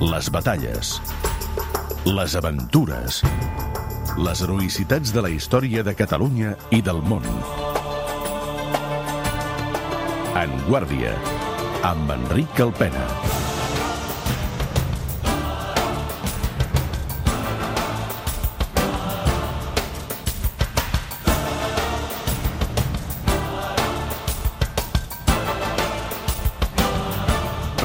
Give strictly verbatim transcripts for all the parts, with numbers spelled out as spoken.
les batalles, les aventures, les heroïcitats de la història de Catalunya i del món. En Guàrdia, amb Enric Alpena.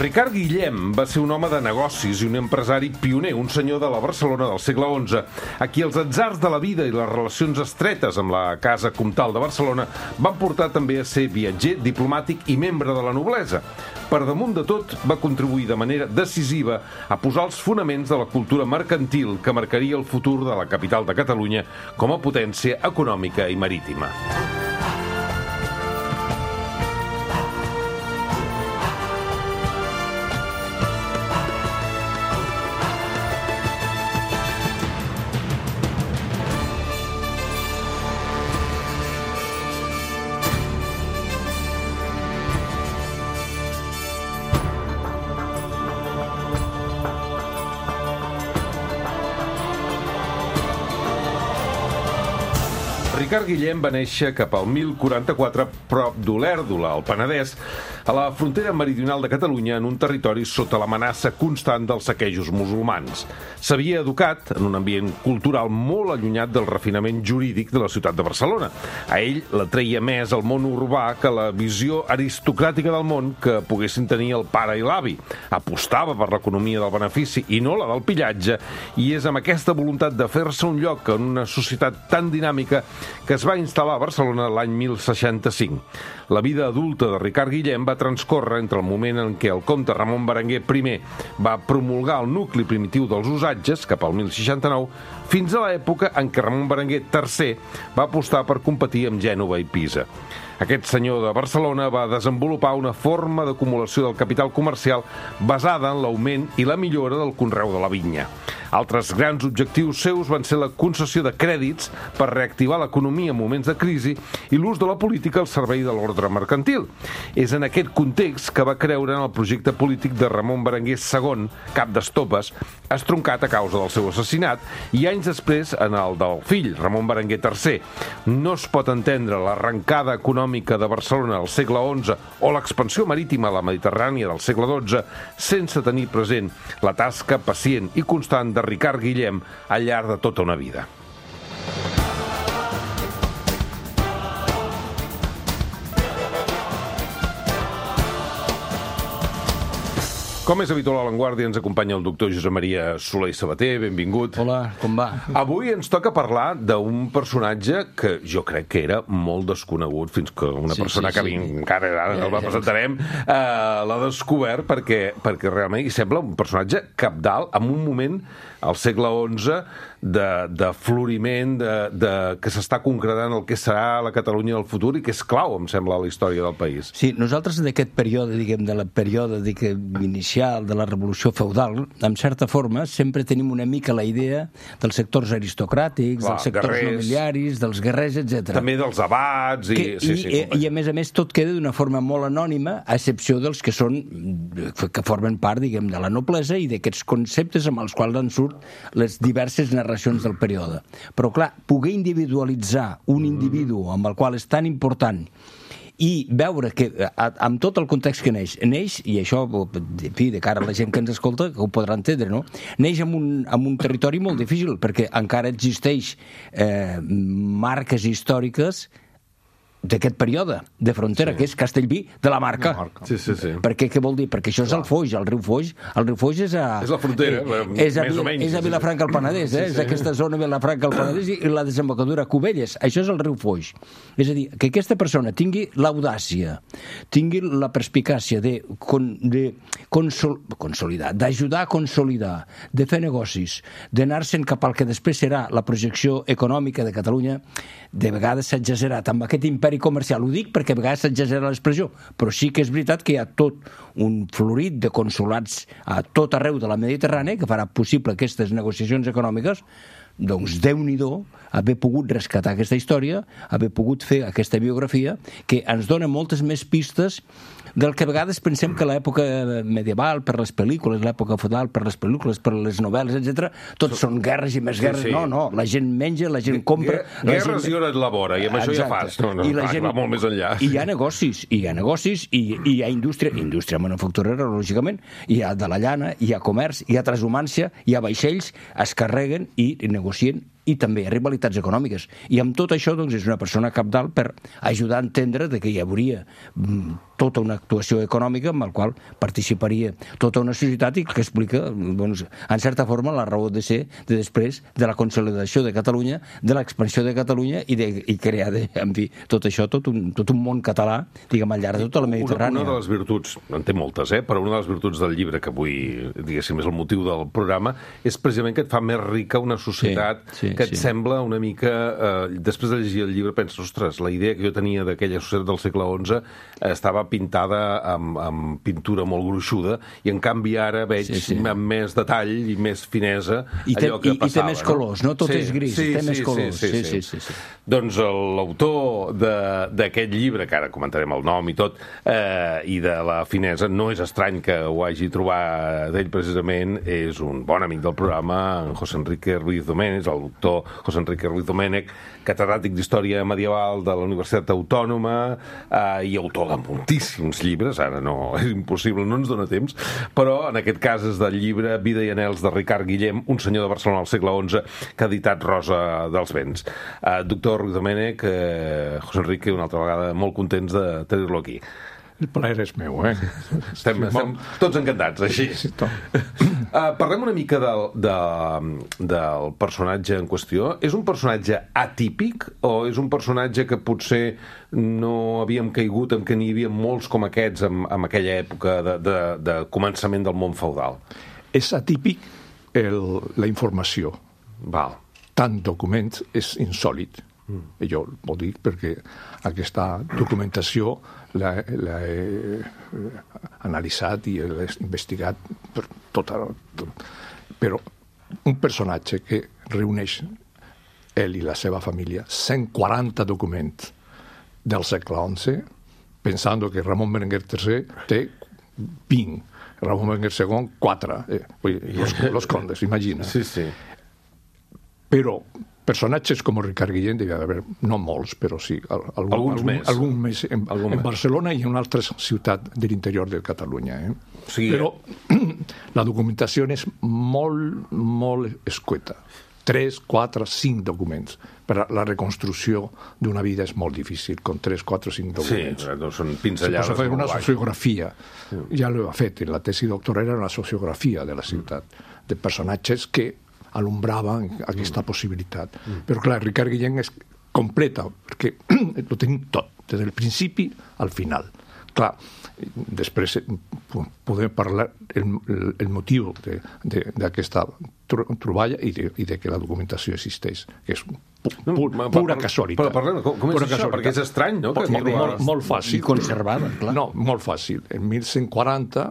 Ricard Guillem va ser un home de negocis i un empresari pioner, un senyor de la Barcelona del segle onze, a qui els atzars de la vida i les relacions estretes amb la Casa Comtal de Barcelona van portar també a ser viatger, diplomàtic i membre de la noblesa. Per damunt de tot, va contribuir de manera decisiva a posar els fonaments de la cultura mercantil que marcaria el futur de la capital de Catalunya com a potència econòmica i marítima. Ricard Guillem va néixer cap al mil quaranta-quatre prop d'Olèrdola, al Penedès, a la frontera meridional de Catalunya, en un territori sota l'amenaça constant dels saquejos musulmans. S'havia educat en un ambient cultural molt allunyat del refinament jurídic de la ciutat de Barcelona. A ell l'atreia més el món urbà que la visió aristocràtica del món que poguessin tenir el pare i l'avi. Apostava per l'economia del benefici i no la del pillatge, i és amb aquesta voluntat de fer-se un lloc en una societat tan dinàmica que es va instal·lar a Barcelona l'any mil seixanta-cinc. La vida adulta de Ricard Guillem va transcórrer entre el moment en què el comte Ramon Berenguer primer va promulgar el nucli primitiu dels usatges, cap al mil seixanta-nou, fins a l'època en què Ramon Berenguer tercer va apostar per competir amb Gènova i Pisa. Aquest senyor de Barcelona va desenvolupar una forma d'acumulació del capital comercial basada en l'augment i la millora del conreu de la vinya. Altres grans objectius seus van ser la concessió de crèdits per reactivar l'economia en moments de crisi i l'ús de la política al servei de l'ordre mercantil. És en aquest context que va creure en el projecte polític de Ramon Berenguer segon, cap d'estopes, estroncat a causa del seu assassinat, i anys després en el del fill, Ramon Berenguer tercer. No es pot entendre l'arrencada econòmica de Barcelona al segle onze o l'expansió marítima a la Mediterrània del segle dotze sense tenir present la tasca pacient i constant de Ricard Guillem al llarg de tota una vida. Com és habitual a l'Avantguàrdia, ens acompanya el doctor Josep Maria Soler i Sabater. Benvingut. Hola, com va? Avui ens toca parlar d'un personatge que jo crec que era molt desconegut, fins que una sí, persona sí, que sí. encara ara el va presentarem eh, l'ha descobert, perquè, perquè realment hi sembla un personatge cabdal en un moment al segle onze de, de floriment, de, de, que s'està concretant el que serà la Catalunya del futur i que és clau, em sembla, a la història del país. Sí, nosaltres d'aquest període, diguem, de la període diguem, inicial de la revolució feudal, en certa forma, sempre tenim una mica la idea dels sectors aristocràtics, Clar, dels sectors guerrers, nobiliaris, dels guerrers, etcètera. També dels abats. I, que, sí, i, sí, i, I a més a més tot queda d'una forma molt anònima, a excepció dels que són, que formen part, diguem, de la noblesa i d'aquests conceptes amb els quals en surt les diverses narracions del període. Però clar, poder individualitzar un individu amb el qual és tan important i veure que, amb tot el context que neix, neix, i això, en fi, de cara a la gent que ens escolta, que ho podrà entendre, no? Neix en un, en un territori molt difícil, perquè encara existeix eh, marques històriques d'aquest període de frontera, sí. que és Castellví de la Marca. La Marca. Sí, sí, sí. Perquè, què vol dir? Perquè això és Clar. el Foix, el riu Foix. El riu Foix és a... És la frontera, eh, és a, més o menys. És a Vilafranca al Penedès, eh? Sí, sí. És aquesta zona Vilafranca al Penedès i la desembocadura Cubelles. Això és el riu Foix. És a dir, que aquesta persona tingui l'audàcia, tingui la perspicàcia de, con, de consol, consolidar, d'ajudar a consolidar, de fer negocis, d'anar-se'n cap al que després serà la projecció econòmica de Catalunya, de vegades s'ha exagerat amb aquest imperi comercial. Ho dic perquè a vegades s'exagera l'expressió, però sí que és veritat que hi ha tot un florit de consolats a tot arreu de la Mediterrània que farà possible aquestes negociacions econòmiques. Doncs Déu-n'hi-do haver pogut rescatar aquesta història, haver pogut fer aquesta biografia, que ens dona moltes més pistes del que a vegades pensem que l'època medieval, per les pel·lícules, l'època feudal, per les pel·lícules, per les novel·les, etcètera, tot són guerres i més guerres. Sí, sí. No, no, la gent menja, la gent compra... Guerres gent... i hores labora, i amb això Exacte. ja fas. No, no, I la clar, gent... va molt més enllà. I hi ha negocis, i hi ha negocis, i, i hi ha indústria, indústria manufacturera, lògicament, hi ha de la llana, hi ha comerç, hi ha transhumància, hi ha vaixells, es carreguen i negocien, i també hi ha rivalitats econòmiques. I amb tot això, doncs, és una persona cabdal per ajudar a entendre de que hi hauria tota una actuació econòmica amb la qual participaria tota una societat i que explica, doncs, en certa forma, la raó de ser de després de la consolidació de Catalunya, de l'expansió de Catalunya i, de, i crear, de, en fi, tot això, tot un, tot un món català, diguem, al llarg de tota la Mediterrània. Una, una de les virtuts, en té moltes, eh? Però una de les virtuts del llibre que avui, diguéssim, és el motiu del programa, és precisament que et fa més rica una societat sí, sí, que et sí. sembla una mica... Eh, després de llegir el llibre penses, ostres, la idea que jo tenia d'aquella societat del segle onze eh, estava pintada amb, amb pintura molt gruixuda i en canvi ara veig sí, sí. amb més detall i més finesa I té, allò que i, passava. I té més colors, no? Tot sí, és gris, sí, té sí, més colors. Sí, sí, sí. sí, sí. sí, sí. Doncs l'autor d'aquest llibre, que ara comentarem el nom i tot, eh, i de la finesa, no és estrany que ho hagi trobat d'ell precisament, és un bon amic del programa, en José Enrique Ruiz Domènech, el doctor José Enrique Ruiz Domènech, catedràtic d'Història Medieval de la Universitat Autònoma eh, i autor de moltíssims llibres, ara no, és impossible, no ens dona temps, però en aquest cas és del llibre Vida i anhels de Ricard Guillem, un senyor de Barcelona al segle onze, que ha editat Rosa dels Vents. Eh, doctor Ruiz Domènech, eh, José Enrique, una altra vegada molt contents de tenir-lo aquí. El plaer és meu, eh? Estem, estem tots encantats, així. Sí, uh, parlem una mica del, de, del personatge en qüestió. És un personatge atípic o és un personatge que potser no havíem caigut en que n'hi havia molts com aquests en, en aquella època de, de, de començament del món feudal? És atípic el, la informació. Val. Tant documents és insòlid. Mm. Jo ho dic perquè aquesta documentació l'he analitzat i l'he investigat per tota... Tot. Però un personatge que reuneix ell i la seva família cent quaranta documents del segle onze, pensant que Ramon Berenguer tercer té vint, Ramon Berenguer segon quatre, eh, los, los condes, imagina. Sí, sí. Però personatges com Ricard Guillem devia haver, no molts, però sí, algun, alguns algun, més, algun més en, algun en més. Barcelona i en una altra ciutat de l'interior de Catalunya. Eh? Sí. Però la documentació és molt, molt escueta. Tres, quatre, cinc documents. Per la reconstrucció d'una vida és molt difícil, con tres, quatre, cinc documents. Sí, no són pinzellades. Se pot fer una sociografia. Sí. Ja l'he fet, la tesi doctoral era una sociografia de la ciutat, mm. de personatges que alumbraven aquesta mm. possibilitat. Mm. Però, clar, Ricard Guillem és completa, perquè ho tenim tot, des del principi al final. Clar, després podem parlar el, el, el motiu d'aquesta troballa i de, i de que la documentació existeix, que és pu, pu, pura casualitat. Però parlem, com, com és això? Perquè és estrany, no? Que molt, molt, molt fàcil. I conservada, clar. No, molt fàcil. En mil cent quaranta,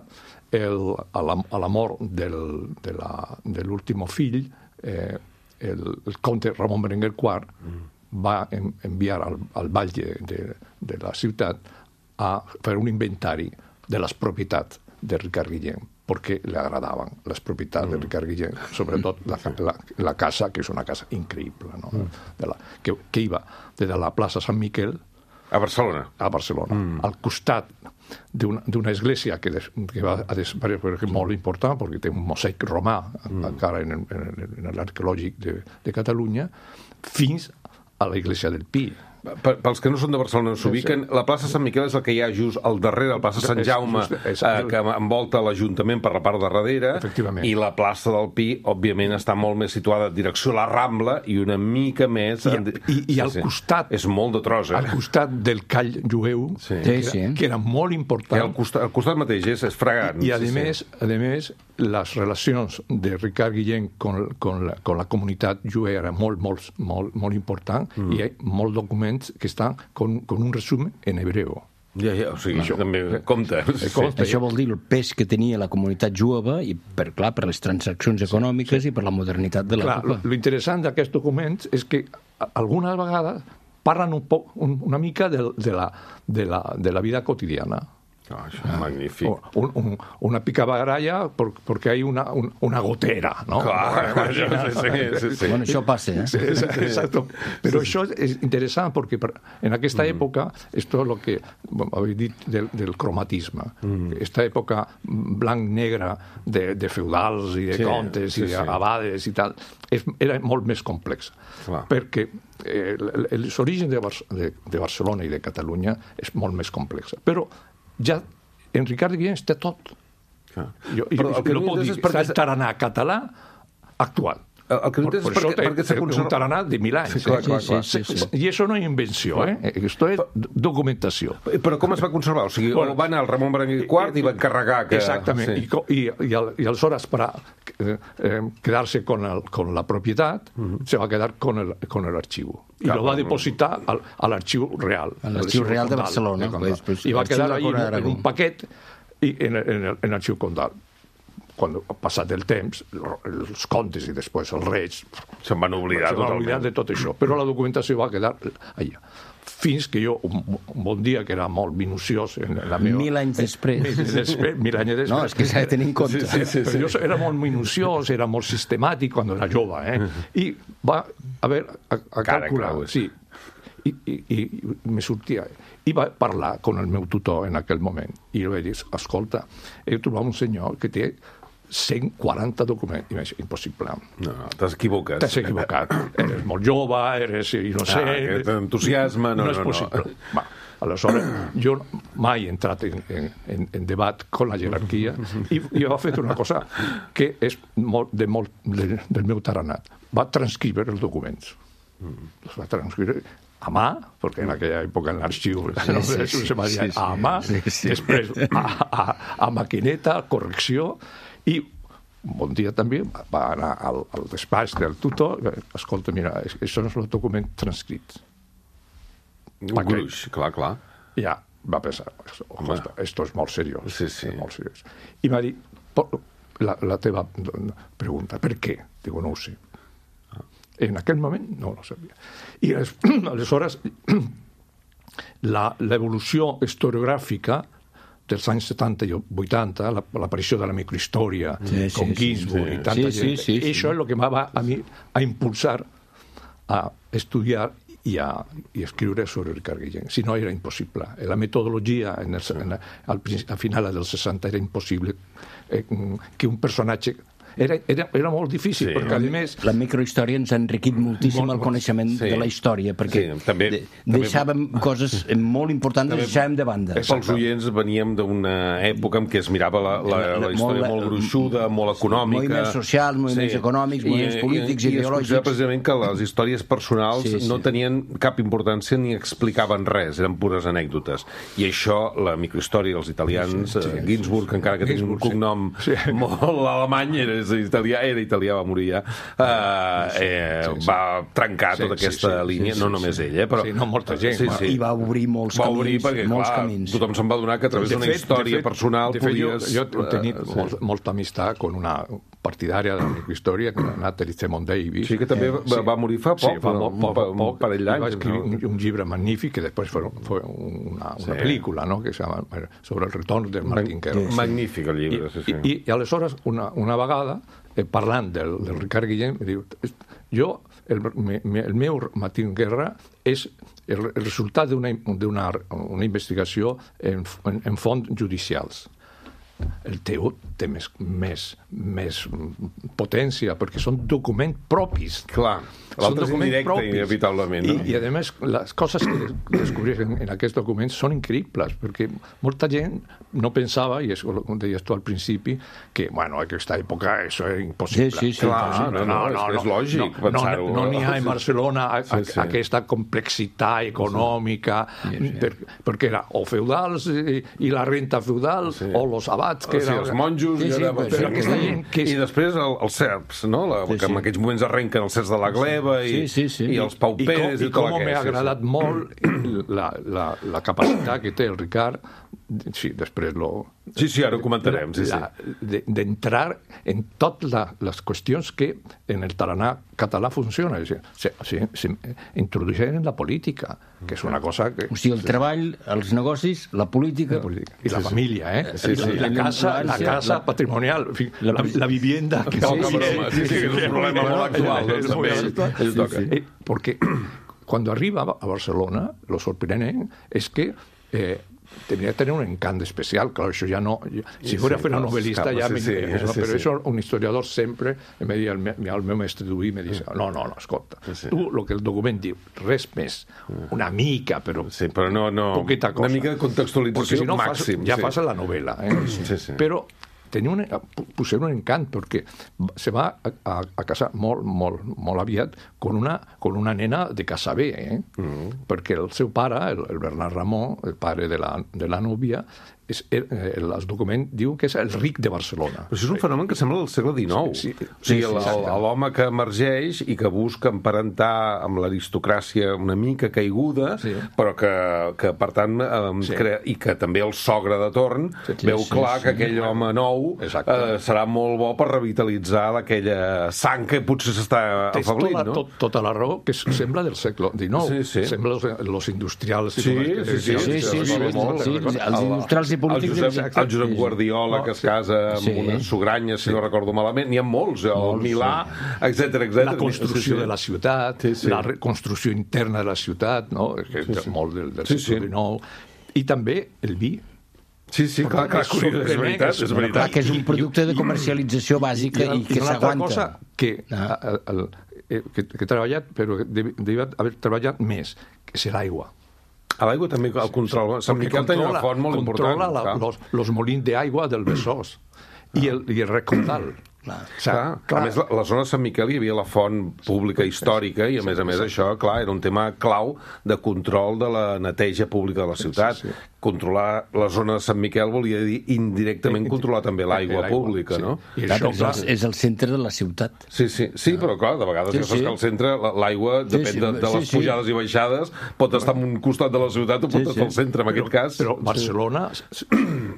el, a, la, a la mort del, de, la, de l'últim fill, eh, el, el comte Ramon Berenguer quart mm. va en, enviar al, al batlle de, de la ciutat a fer un inventari de les propietats de Ricard Guillem, perquè li agradaven les propietats mm. de Ricard Guillem, sobretot la, la, la casa, que és una casa increïble, no? mm. de la, que, que iba des de la plaça Sant Miquel a Barcelona, a Barcelona mm. al costat d'una església que, des, que va a desaparèixer molt important, perquè té un mosaic romà mm. encara en, en, en l'arqueològic de, de Catalunya, fins a l'església del Pi. Pels que no són de Barcelona, s'ubiquen, la plaça Sant Miquel és el que hi ha just al darrere, la plaça Sant Jaume, és, és, eh, que envolta l'Ajuntament per la part de darrere, i la plaça del Pi, òbviament, està molt més situada en direcció a la Rambla i una mica més... I, i, i al sí, costat... És molt de tros, eh? Al costat del call jueu, sí. que, era, sí. que era molt important... I al costat, al costat mateix, és, és fragant. I, a sí, més, sí. a més, les relacions de Ricard Guillem con, con, la, con la comunitat jueva era molt, molt, molt, molt important, mm. i hi ha molts documents que estan con, con un resumen en hebreu. Ja, ja, o sigui, això també compta. Sí. compta. Això vol dir el pes que tenia la comunitat jueva, i per, clar, per les transaccions econòmiques sí. i per la modernitat de l'època. L'interessant d'aquests documents és que alguna vegada parlen un poc, un, una mica de, de, la, de, la, de la vida quotidiana. Oh, això és magnífic. Un, un, una picabaralla porque hay una, un, una gotera, ¿no? Clar, sí, sí, sí, sí. Bueno, això passa, eh? Sí, exacto. Però això és interessant perquè en aquesta mm. època, esto es lo que bueno, habéis dit del, del cromatisme. Mm. Esta època blanc-negra de, de feudals i de sí, contes sí, i d'abades sí. i tal, és, era molt més complexa. Clar. Perquè eh, els orígens de, Bar de, de Barcelona i de Catalunya és molt més complexa. Però ja en Ricard Guillén té tot. Ah. Jo, Però el que no pot dir, perquè... és taraná català actual. El que no és perquè, perquè s'ha conservat... un taraná de mil anys. Sí, clar, clar, clar. Sí, sí, sí. I això no és invenció, eh? Esto és documentació. Però com es va conservar? O sigui, bueno, va anar el Ramon Berenguer quart i va encarregar que... Exactament. Sí. I, i, i aleshores, per eh, quedar-se con, el, con la propietat, uh -huh. se va quedar con el, con el archivo. I lo va depositar al, a l'arxiu real. A l'arxiu real de Barcelona. Pues, pues, I va quedar ahí en, en un paquet i en, en, en l'arxiu Condal. Quan ha passat el temps, els contes i després els reis... Se'n van oblidar totalment. Se'n van oblidar de tot això. Però la documentació va quedar allà. Fins que jo, un, un bon dia, que era molt minuciós... En la meva, mil anys després. Mil, després, mil anys després. No, és que s'ha de tenir en compte. Sí, sí, sí, sí. Però jo era molt minuciós, era molt sistemàtic quan era jove, eh? I va haver a, a calcular... Sí. I, i, i me sortia... I va parlar amb el meu tutor en aquell moment. I li vaig dir, escolta, he trobat un senyor que té cent quaranta documents. I vaig dir, impossible. No, no, t'has equivocat. T'has equivocat. Eres molt jove, eres innocent... Ah, que t'entusiasma... No, no, no és possible. No. Va, aleshores, jo mai he entrat en, en, en debat con la jerarquia i, i va fer una cosa que és molt, de molt, de, del meu taranat. Va transcriure els documents. Els va transcriure a mà, perquè en aquella època en l'arxiu sí, no, sí, sí, se va dir sí, sí, a mà, sí, sí. Després a, a, a maquineta, correcció, i un bon dia també va anar al, al despatx del tutor, escolta, mira, això no és el document transcrit. Un gruix, clar, clar. Ja, va pensar, esto és molt seriós. Sí, sí. Molt seriós. I va dir, la, la teva pregunta, per què? Digo, no ho sé. En aquell moment no ho sabia. I aleshores l'evolució historiogràfica dels anys setanta i vuitanta, l'aparició de la microhistòria, sí, sí, com Ginsburg sí, sí. i tanta sí, gent, sí, sí, sí. Això és el que me va a mi a impulsar a estudiar i a, i a escriure sobre Ricard Guillén. Si no, era impossible. La metodologia en el, en, al, al final dels seixanta era impossible eh, que un personatge... Era, era, era molt difícil, sí, perquè a més... La microhistòria ens ha enriquit moltíssim molt, el coneixement sí. de la història, perquè sí, també, de, deixàvem també, coses molt importants, també, deixàvem de banda. Pels oients veníem d'una època en què es mirava la, la, la, la història molt, molt gruixuda, molt econòmica... Moviments socials, moviments sí. econòmics, moviments I, polítics, i, ideològics... I precisament que les històries personals sí, sí. no tenien cap importància ni explicaven res, eren pures anècdotes. I això, la microhistòria dels italians, sí, sí, Ginsburg, encara que tenia un cognom sí. molt alemany, era italià, era italià, va morir ja, uh, eh, sí, sí. va trencar sí, tota aquesta sí, sí, línia, sí, no només sí. ell, eh, però... Sí, no, molta gent. Sí, sí. I va obrir molts va camins. Obrir perquè, molts clar, camins. Tothom se'n va donar que a través d'una història fet, personal de fet, podies... Jo, jo he tenit uh, molt, sí. molta amistat con una partidària de la microhistòria, que era Natalie Zemon Davis. Sí, que també eh, va, sí. va morir fa poc, sí, fa poc, poc, poc, un parell d'anys. Va escriure no? un, un llibre magnífic, que després fue, fue una, una sí. pel·lícula, no?, que se llama sobre el retorn de Martin Kerr. Sí. Magnífic el llibre, sí, sí. I, i, i aleshores, una, una vegada, eh, parlant del, del Ricard Guillén, em diu, jo, el, me, el meu Martin Guerra és el, el resultat d'una una, una investigació en, en, en fonts judicials. El teu té més, més, més potència, perquè són documents propis. Clar, l'altre és indirecte, inevitablement. No? I, I, a més, les coses que descobreixen en aquests documents són increïbles, perquè molta gent no pensava, i és com deies tu al principi, que, bueno, en aquesta època això era impossible. Sí, sí, sí. Clar, no, no, no, és, és lògic no, pensar-ho. No n'hi no ha en Barcelona a, a, sí, sí. aquesta complexitat econòmica, sí, sí. Per, perquè era o feudals i, i la renta feudal, sí. o los abats, abats... Que o sigui, era... els monjos... Sí, sí, era... però però aquesta gent que és... I després el, els serps, no? La, Sí, que en sí. aquells moments arrenquen els serps de la gleba i, Sí, sí, sí. i els pauperes I, i, com, tot i com m'ha aquest. agradat molt la, la, la capacitat que té el Ricard, sí, després lo... Sí, sí, ara ho comentarem, sí, sí. La- de- d'entrar en totes la, les qüestions que en el tarannà català funciona. És a dir, se, se, se introdueixen en la política, que és una cosa que... O sigui, el treball, els negocis, la política... La política. I la família, eh? Sí, sí. I la, la casa, la casa patrimonial, en fi, la, la vivienda... Que Poca broma, sí, sí, que és un problema molt actual, doncs, Es muy també. actual. Eso toca. Eh, Porque cuando arriba a Barcelona, lo sorprendente es que eh, tenía que tener un encanto especial. Claro, eso ya no... ya- si Sí, fuera sí, fuera claro, novelista claro, ya sí, me... sí, eso, sí, pero sí. eso un historiador sempre me deia, el, me, el meu mestre d'Uí me dice, no, no, no, escolta, sí. tu el que el document diu, res més, una mica, però Sí, però no... no poquita cosa. Una mica de contextualització Porque si no màxim. fas, ja sí. fas la novela. Eh? Sí, sí. Però tenia un, pusieron un encant perquè se va a, a, a casar molt, molt, molt aviat con una, con una nena de casa bé, eh? Mm. perquè el seu pare, el, el Bernat Ramon, el pare de la, de la núvia, és, eh, el document diu que és el ric de Barcelona. Però això és un fenomen que sembla del segle dinou. Sí, sí, o sigui, sí, el- exacte. l'home que emergeix i que busca emparentar amb l'aristocràcia una mica caiguda, Sí. però que, que per tant, eh, Sí. crea, i que també el sogre de torn Sí, veu sí, clar sí. que aquell home nou Exacte. eh, serà molt bo per revitalitzar aquella sang que potser s'està Tens afeblint, tota, no? tot, tota la raó, que sembla del segle dinou. Sí, sí. Sembla los, los industrials. i Sí, com els que sí, sí, decíem, sí, que sí, els sí, recordo sí, molt, sí, recordo- els El- industrials i polítics, El Josep, el Josep sí. Guardiola, No, que es sí. casa amb Sí. unes sugranyes, si no recordo malament. N'hi ha molts, el Molts, Milà, etcètera, etcètera. la construcció de la ciutat, Sí, sí. la reconstrucció interna de la ciutat, no? que és molt del, del Sí, segle sí. dinou, i també el vi. Sí, sí, clar, clar, És és veritat, és Clar, veritat. que és un producte de comercialització bàsica i, que una altra s'aguanta. cosa que, Ah. el, el, eh, que, que he treballat, però que dev- devia haver treballat més, que és l'aigua. A l'aigua també el control. Sant Miquel tenia una font molt important. controla la, clar. los, los molins d'aigua del Besòs i el, i el recaudal. Clar. O sigui, Clar, a més, la, la zona de Sant Miquel hi havia la font pública històrica i, a més a més, això, clar, era un tema clau de control de la neteja pública de la ciutat. sí, sí. Controlar la zona de Sant Miquel volia dir indirectament controlar també l'aigua L'aigua, pública, sí. no? I Clar, això, és, clar, el, és el centre de la ciutat. Sí, sí, sí, però clar, de vegades Sí, ja saps sí. que al centre la- l'aigua, Sí, depèn sí, de, de sí, les sí. pujades i baixades, pot estar en un costat de la ciutat o pot Sí, estar sí. al centre, en aquest cas. Però Barcelona sí.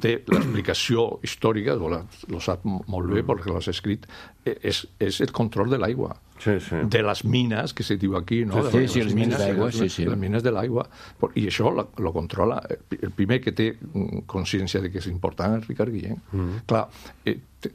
té l'explicació històrica, o la, lo sap molt bé perquè l'has escrit, eh, és, és el control de l'aigua. Sí, sí. De les mines, que se diu aquí, no? Sí, de sí, les mines d'aigua, sí, sí. Les mines de l'aigua. I això lo, lo controla. El primer que té mm, consciència de que és important és Ricard Guillén. Mm. Clar, eh, te-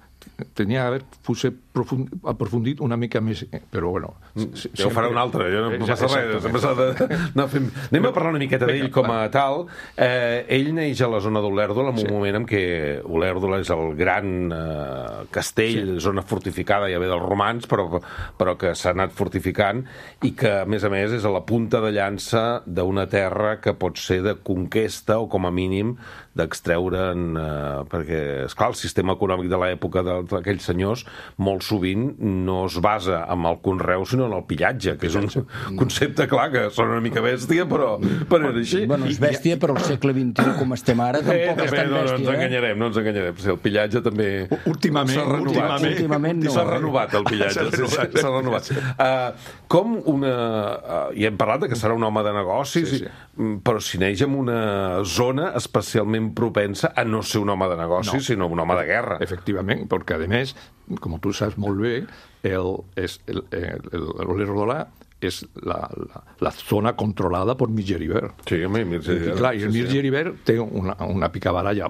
tenia d'haver potser profund, aprofundit una mica més, eh, però bueno... Si, ja ho farà un altre, ja no Eh, passa res. exactament. Sempre s'ha d'anar fent... Anem a parlar una miqueta d'ell com a tal. Eh, ell neix a la zona d'Olèrdola en un Sí. moment en què Olèrdola és el gran eh, castell, sí. zona fortificada, ja ve dels romans, però, però que s'ha anat fortificant i que, a més a més, és a la punta de llança d'una terra que pot ser de conquesta o, com a mínim, d'extreure'n... Eh, perquè, esclar, el sistema econòmic de l'època de- d'aquells senyors molt sovint no es basa en el conreu, sinó en el pillatge, que és un concepte, clar, que sona una mica bèstia, però, però era així. Bueno, és bèstia, però al segle vint i u, com estem ara, tampoc Eh, és també, tan no, no ens bèstia. eh? enganyarem, no ens enganyarem. Sí, el pillatge també Últimament, s'ha renovat. últimament. Últimament no, S'ha eh? renovat el pillatge, S'ha sí, sí, renovat. s'ha renovat. Uh, com una... Uh, I hem parlat de que serà un home de negocis, Sí, sí. i- però si neix en una zona especialment propensa a no ser un home de negocis, No. sinó un home de guerra. Efectivament, perquè a més, com tu saps molt bé, el, és el, el, el, l'Olèrdola és la, la, la zona controlada per Mir Geribert. Sí, home, Mir I, Geribert, clar, i el sí, Mir sí. Geribert té una, una picabaralla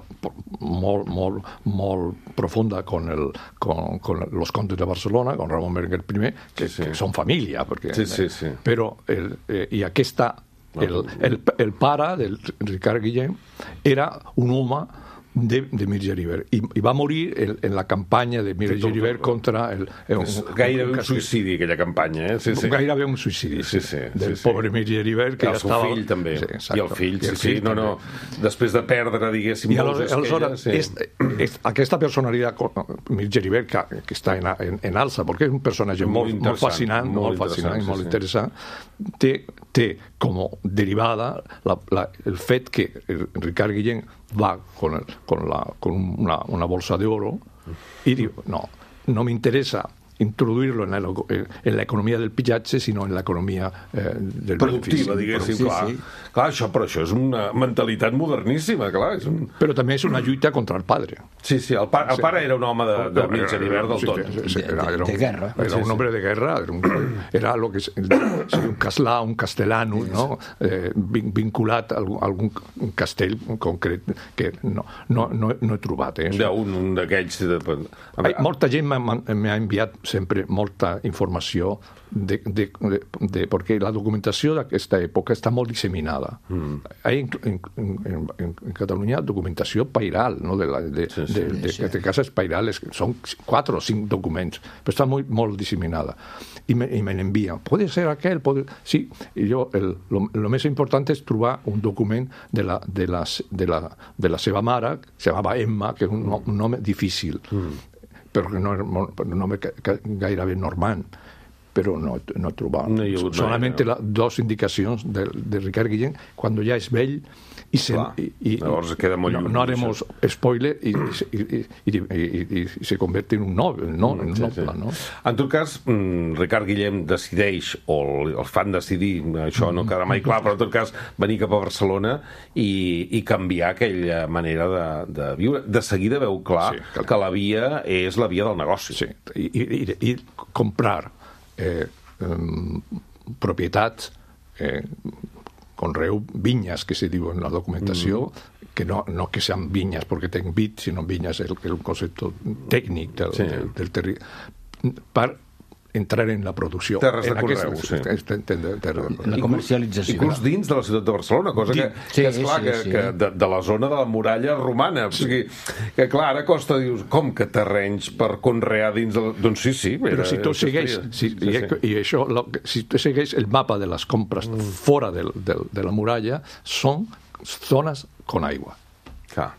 molt, molt, molt profunda con, el, con, con los contes de Barcelona, con Ramon Berenguer primer, que, Sí, sí. que són família. Perquè, Sí, sí, sí. Però, el, eh, i aquesta, el, el, el pare del Ricard Guillén era un home de, de Mir Geribert i, i va morir en, en la campanya de Mir Sí, tot- Geribert contra el, el, És gairebé un suïcidi, aquella campanya, eh? Sí, sí. Gairebé un suïcidi Sí, sí, del sí, sí. pobre Mir Geribert, que I el ja seu estava... fill també, Sí, exacte. i el fill, I sí, el sí, fill no, no, després de perdre, diguéssim, I molts aleshores, aleshores esquelles, és, és, aquesta personalitat, Mir Geribert, que, que està en, en, en alça, perquè és un personatge Molt molt, molt fascinant, molt molt, fascinant i interessant, molt sí, sí. interessant, té, té com derivada la, la, el fet que Ricard Guillén va con, el, con, la, con una, una bolsa de oro y digo, no, no me interesa introduir-lo en la, en la economia del pillatge, sinó en l'economia eh, del productiva, benefici. diguéssim, sí, clar. sí. Clar, això, però això és una mentalitat moderníssima, clar. És un... Però també és una lluita contra el padre. Sí, sí, el, pa el pare era un home de, de mitja d'hivern del tot. Sí, sí, era, De- de un, guerra. Era un hombre de guerra, era, un, era lo que es, un caslà, un castellano, no? eh, vin- vinculat a algun, a algun castell concret que no, no, no, no he trobat. Eh? Un, un d'aquells... De... Ai, molta gent m'ha m'ha enviat sempre molta informació de, de, de, de, perquè la documentació d'aquesta època està molt disseminada. Mm. Hay en, en, en, en Catalunya documentació pairal, no? de, la, de, sí, sí, de, de, de, de cases pairales, són quatre o cinc documents, però està molt, molt disseminada. I me, i me n'envien. Puede ser aquell, puede... Sí, i jo, el, lo, lo més important és trobar un document de la, de la, de la, de la seva mare, que se llamava Emma, que és un, nom, un nom difícil. Mm. Però que no era molt, un home gairebé normand, però no, no he trobat. No hi ha hagut mai, Solamente no. las dos indicacions de, de Ricard Guillén, quan ja és vell, i, se, Clar, i, i llavors queda molt no, lluny, no haremos spoiler i, i, i, i, i, i se convierte en un noble, no? En un Sí, noble, sí. no? En tot cas, Ricard Guillem decideix, o el fan decidir, això no quedarà mai clar, però en tot cas venir cap a Barcelona i, i canviar aquella manera de, de viure. De seguida veu clar Sí, clar. que la via és la via del negoci. Sí, i, i, i comprar eh, um, propietats, eh, conreu, vinyes, que se diu en la documentació, mm. que no, no que sean vinyes perquè tenen vid, sinó vinyes és el, el concepte tècnic del, Sí. del, del territori, per entrar en la producció. Terres de en conreu, aquest- sí. en- en- en- terres de conreu. La comercialització. Inclús dins de la ciutat de Barcelona, cosa que, Sí, que és clar sí, que, sí. que de, de la zona de la muralla romana. O sigui, que clar, ara costa, dius, com que terrenys per conrear dins de la... Doncs sí, sí. Però era- si tu era el que segueix, feia. si, Sí, i, sí. i això, lo, que- si tu segueix el mapa de les compres mm. fora del, del, de la muralla, són zones con aigua. Clar.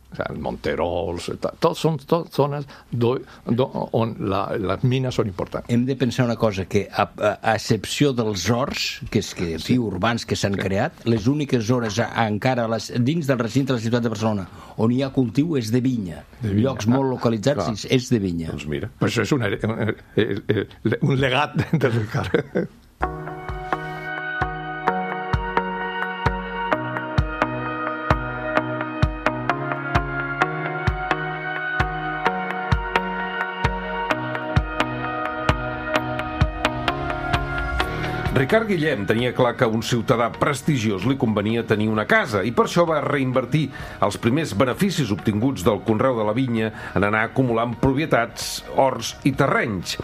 O sea, Monterols, tots són tot zones do, do, on la, les mines són importants. Hem de pensar una cosa, que a, a, a excepció dels horts, que és que, sí. urbans que s'han sí. creat, les úniques zones a, a, encara les, dins del recinte de la ciutat de Barcelona on hi ha cultiu és de vinya. De vinya. Llocs molt localitzats Clar. és de vinya. Doncs mira. Per això és un, un, un legat de Ricard. Ricard Guillem tenia clar que a un ciutadà prestigiós li convenia tenir una casa i per això va reinvertir els primers beneficis obtinguts del conreu de la vinya en anar acumulant propietats, horts i terrenys.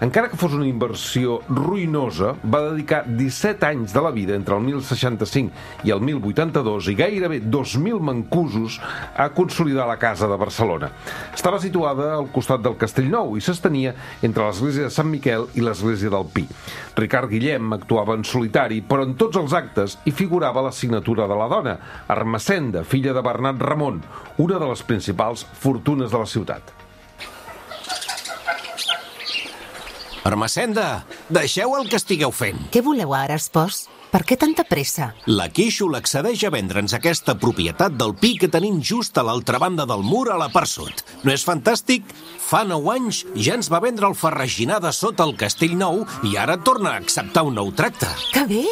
Encara que fos una inversió ruïnosa, va dedicar disset anys de la vida entre el mil seixanta-cinc i el mil vuitanta-dos i gairebé dos mil mancusos a consolidar la casa de Barcelona. Estava situada al costat del Castellnou i s'estenia entre l'església de Sant Miquel i l'església del Pi. Ricard Guillem actuava en solitari, però en tots els actes hi figurava la signatura de la dona, Ermessenda, filla de Bernat Ramon, una de les principals fortunes de la ciutat. Ermessenda, deixeu el que estigueu fent. Què voleu ara, espòs? Per què tanta pressa? La Quixo l'accedeix a vendre'ns aquesta propietat del Pi que tenim just a l'altra banda del mur a la part sud. No és fantàstic? Fa nou anys ja ens va vendre el Ferraginar de sota el Castell Nou i ara torna a acceptar un nou tracte. Que bé!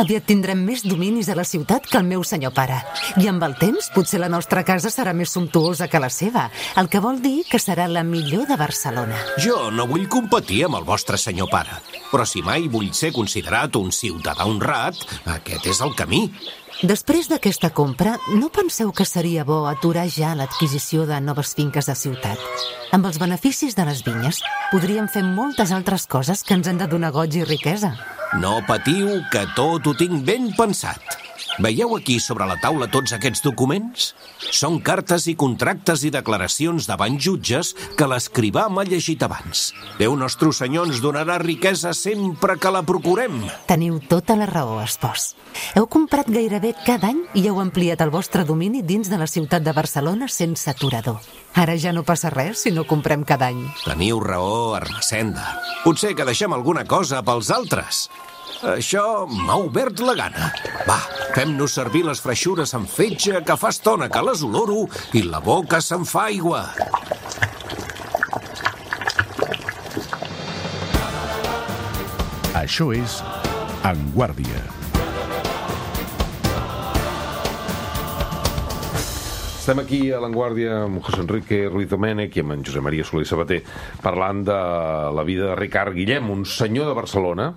Aviat tindrem més dominis a la ciutat que el meu senyor pare. I amb el temps potser la nostra casa serà més sumptuosa que la seva, el que vol dir que serà la millor de Barcelona. Jo no vull competir amb el vostre senyor pare, però si mai vull ser considerat un ciutadà honrat, aquest és el camí. Després d'aquesta compra, no penseu que seria bo aturar ja l'adquisició de noves finques de ciutat? Amb els beneficis de les vinyes, podríem fer moltes altres coses que ens han de donar goig i riquesa. No patiu, que tot ho tinc ben pensat. Veieu aquí sobre la taula tots aquests documents? Són cartes i contractes i declaracions davant jutges que l'escrivà m'ha llegit abans. Déu nostre senyor ens donarà riquesa sempre que la procurem. Teniu tota la raó, espòs. Heu comprat gairebé cada any i heu ampliat el vostre domini dins de la ciutat de Barcelona sense aturador. Ara ja no passa res si no comprem cada any. Teniu raó, Ermessenda. Potser que deixem alguna cosa pels altres. Això m'ha obert la gana. Va, fem-nos servir les freixures amb fetge, que fa estona que les oloro i la boca se'n fa aigua. Això és En Guàrdia. Estem aquí a l'Enguàrdia amb José Enrique Ruiz Domènech i amb en Josep Maria Soler i Sabater parlant de la vida de Ricard Guillem, un senyor de Barcelona.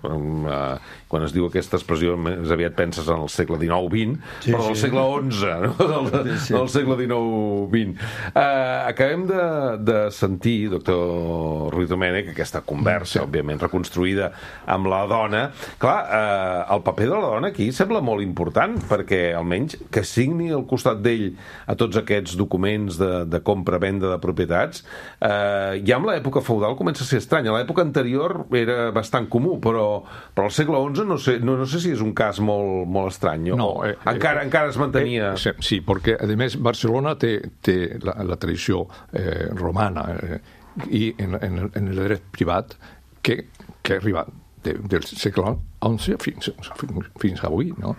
Quan es diu aquesta expressió més aviat penses en el segle dinou vint, sí, però del sí. segle onze, no? del, sí, sí. del segle dinou vint. Uh, acabem de, de sentir, doctor Ruiz Domènech, aquesta conversa, sí. òbviament, reconstruïda amb la dona. Clar, uh, el paper de la dona aquí sembla molt important, perquè almenys que signi al costat d'ell a tots aquests documents de, de compra-venda de propietats, eh, ja en l'època feudal comença a ser estrany. A l'època anterior era bastant comú, però, però al segle onze no sé, no, no sé si és un cas molt, molt estrany. No, eh, encara, eh, encara es mantenia... Eh, sí, perquè, a més, Barcelona té, té la, la tradició eh, romana eh, i en, en, en el dret privat que, que arriba de, del segle onze fins, fins, fins avui, no?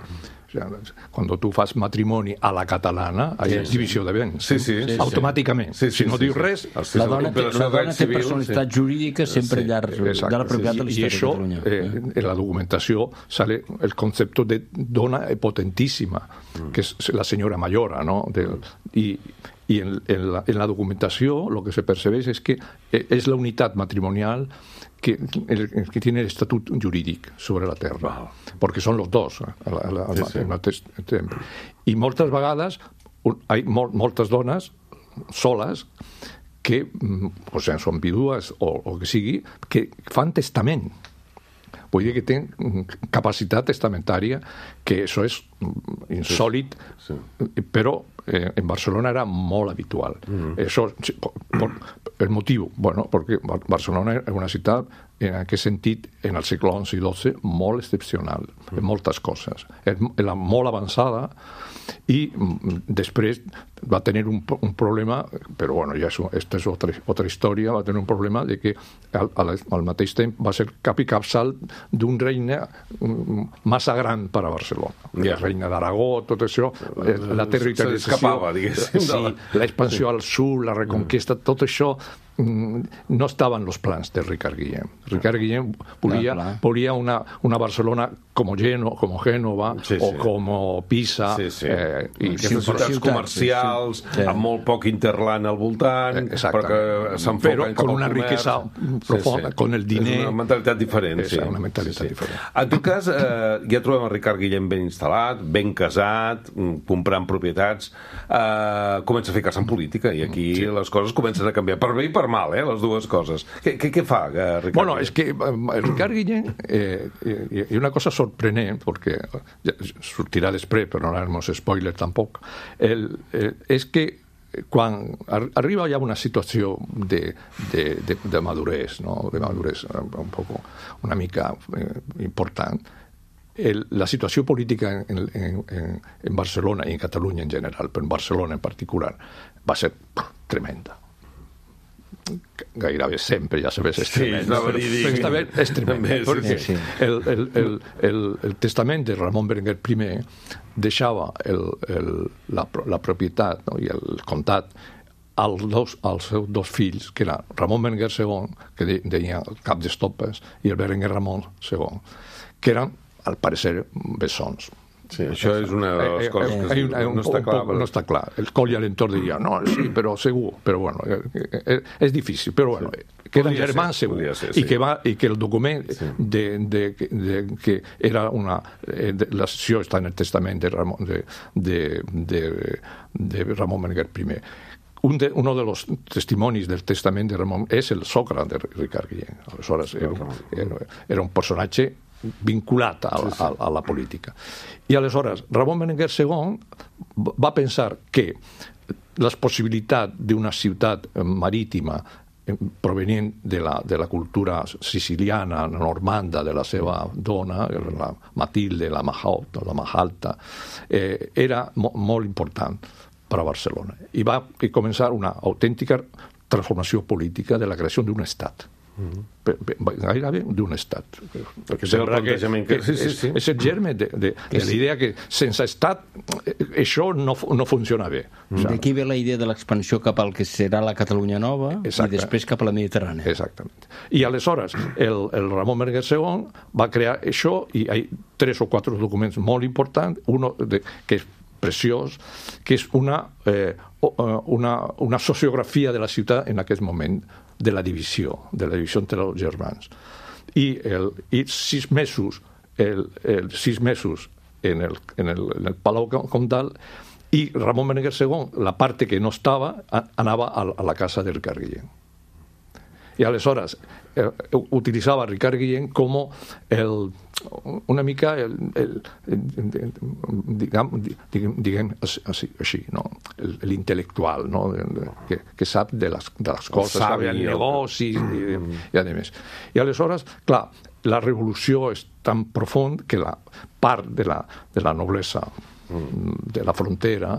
Cuando tú fas matrimoni a la catalana, hay sí, divisió de béns. Sí, sí, sí, automàticament. Sí, sí, si no sí, dius sí. res... La dona té, la dona té personalitat sí. jurídica sempre sí, llarg exacte, de la propietat sí, de la història això, de Catalunya. Eh, en la documentació sale el concepto de dona potentíssima, mm. que és la senyora Mayora, ¿no? De, i y en, en, la, en la documentació lo que se percebeix és que és la unitat matrimonial que, el, que tiene el estatut jurídic sobre la terra, wow. perquè són los dos al, al, al, sí, sí. al mateix temps. I moltes vegades hi ha mol, moltes dones soles que o sigui, són vídues o, o que sigui, que fan testament. Vull dir que tenen capacitat testamentària, que això és insòlit, sí, sí. però eh, en Barcelona era molt habitual. Mm-hmm. Això, por, por, el motiu, bueno, perquè Barcelona és una ciutat, en aquest sentit, en el segle onze i dotze, molt excepcional, mm. en moltes coses. Era molt avançada i després va tenir un, un problema, però bueno, ja aquesta és otra, otra història, va tenir un problema de que al, al mateix temps va ser cap i capçal d'un regne massa gran per a Barcelona. Yeah. El regne d'Aragó, tot això, la territorialització, s'escapava, diguéssim. Sí, l'expansió al sud, la reconquesta, tot això no estaven los plans de Ricard Guillem. Ricard Guillem volia, volia una, una Barcelona como, Geno, como Génova sí, sí. o como Pisa. Sí, sí. Eh, i aquestes ciutats comercials, sí, sí. amb molt poc interland al voltant, perquè s'enfoquen cap al una riquesa profunda, sí, sí. con el diner. És una mentalitat diferent. És sí. una mentalitat sí, sí. diferent. En tot cas, eh, ja trobem el Ricard Guillem ben instal·lat, ben casat, comprant propietats, eh, comença a ficar-se en política, i aquí sí. les coses comencen a canviar, per bé i per mal, eh, les dues coses. Què, què, què fa, eh, Ricard Bueno, Guillem? és que eh, Ricard Guillem, eh, i una cosa sorprenent, perquè ja sortirà després, però no haremos spoiler tampoc, el, eh, és que quan arriba ja una situació de, de, de, de madurez, no? de madurez un poco, una mica eh, important, el, la situació política en, en, en, en Barcelona i en Catalunya en general, però en Barcelona en particular, va ser tremenda. Gairebé sempre, ja sabés, és tremend. Sí, però esta vez és tremend. Perquè sí, sí. el, el, el, el, el testament de Ramon Berenguer I deixava el, el, la, la propietat, no? i el comtat als, dos, als seus dos fills, que era Ramon Berenguer segon, que de, deia cap d'estopes, i el Berenguer Ramon segon, que eren, al parecer, bessons. Sí, això és una de les coses que eh, eh, no, està clar, no està clar. El coll i l'entorn diria, no, sí, però segur, però bueno, eh, és difícil, però bueno, sí. que eren germans segur, ser, sí. i, que va, i que el document sí. de, de, de, que era una... De, la sessió està en el testament de Ramon, de, de, de, de Ramon Berenguer I. Un de, uno de los testimonis del testament de Ramon és el sogre de Ricard Guillem. Aleshores, era, era, era un personatge vinculat a la, a, a la política. I aleshores, Ramon Berenguer segon va pensar que la possibilitat d'una ciutat marítima provenient de la, de la cultura siciliana, normanda, de la seva dona, la Matilde, la Mahalta, la Mahalta eh, era mo, molt important per a Barcelona. I va començar una autèntica transformació política de la creació d'un estat. gairebé d'un estat. Perquè sembla que, que sí, sí, sí. És, és el germe de, de, de la idea que sense estat això no, no funciona bé. O sigui, d'aquí ve la idea de l'expansió cap al que serà la Catalunya Nova. Exacte. I després cap a la Mediterrània. Exactament. I aleshores el, el Ramon Berenguer segon va crear això i hi ha tres o quatre documents molt importants, un que és preciós, que és una, eh, una, una sociografia de la ciutat en aquest moment, de la divisió, de la divisió entre els germans. I, el, i sis mesos, el, el, sis mesos en el, en el, en el Palau Comtal, i Ramon Berenguer segon, la part que no estava, anava a, a la casa de Ricard Guillén. I aleshores eh, utilitzava Ricard Guillén com el, una mica el, el, el, diguem, diguem, diguem així, així no? L'intel·lectual, no? que, que sap de les, de les coses, sap de negocis i, i a més. I aleshores, clar, la revolució és tan profund que la part de la, de la noblesa de la frontera,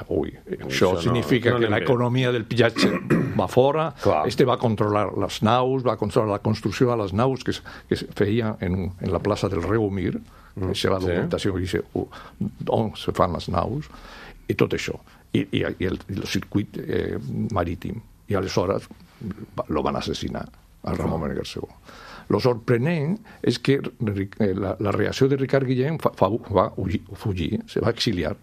ui, això, això significa no, no que l'economia del pillatge va fora. Clar. Este va controlar les naus, va controlar la construcció de les naus que, que es feia en, un, en la plaça del Reumir, mm, que és la documentació sí. que dice uh, on se fan les naus, i tot això. I, i, i el, el circuit eh, marítim. I aleshores lo van assassinar, al Ramon Berenguer segon. Lo sorprenent és que la, la reacció de Ricard Guillén fa, fa, va fugir, se va exiliar.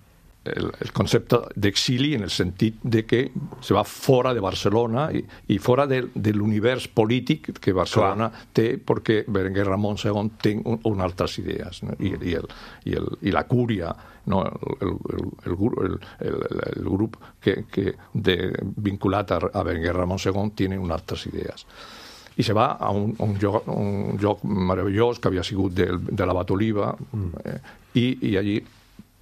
El, el concepte d'exili en el sentit de que se va fora de Barcelona i, i fora de, de l'univers polític que Barcelona Clar. té, perquè Berenguer Ramon segon té un, un altres idees, no? I, i, el, i, el, i la cúria, no? el, el, el, el, el, el grup que, que de, vinculat a, a Berenguer Ramon segon tiene unes altres idees. I se va a un, un, lloc, un lloc meravellós que havia sigut de, de l'Abat Oliva mm. eh, i, i allí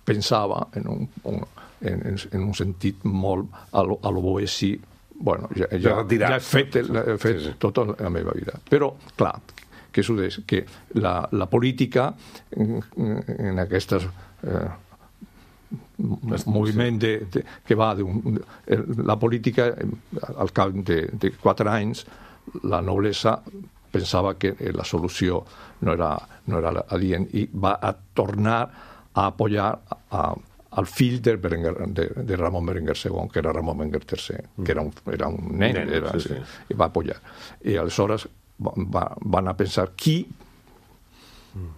pensava en un, un, en, en un sentit molt a lo, a lo Boessi. Bueno, ja, ja, ja he fet, he fet sí, sí. tota la meva vida. Però, clar, que succeeix? Que la, la política en, en aquestes eh, moviment de, de, que va d'un, la política al cap de, de quatre anys la noblesa pensava que la solució no era, no era adient i va a tornar a apoyar a, al fill de, Berenguer, de, de Ramon Berenguer segon, que era Ramon Berenguer tercer, que era un, era un nen, nen era, sí, sí. i va apoyar. I aleshores va, va, van a pensar qui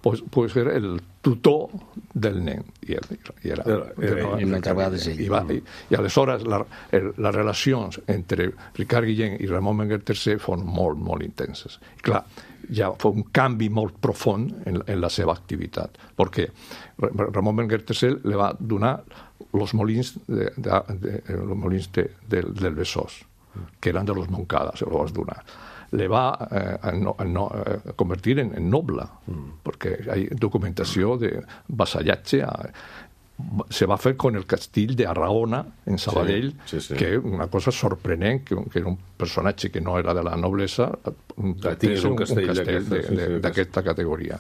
pues, pues era el tutor del nen. I, el, i era, era, era, era, i, va, i, i aleshores la, el, les relacions entre Ricard Guillén i Ramon Berenguer tercer foren molt, molt intenses. I clar, ja fue un canvi molt profund en, en la seva activitat, perquè Ramon Berenguer tercer le va donar els molins, de, de, de, los molins de, de, del Besòs, que eren de los Moncada, se los va donar. Le va eh, no, no, eh, convertir en, en noble, mm. perquè hi ha documentació de vassallatge a, se va fer con el castell de Arraona en Sabadell, sí, sí, sí. que és una cosa sorprenent, que, que era un personatge que no era de la noblesa, un, un castell, un castell d'aquesta categoria.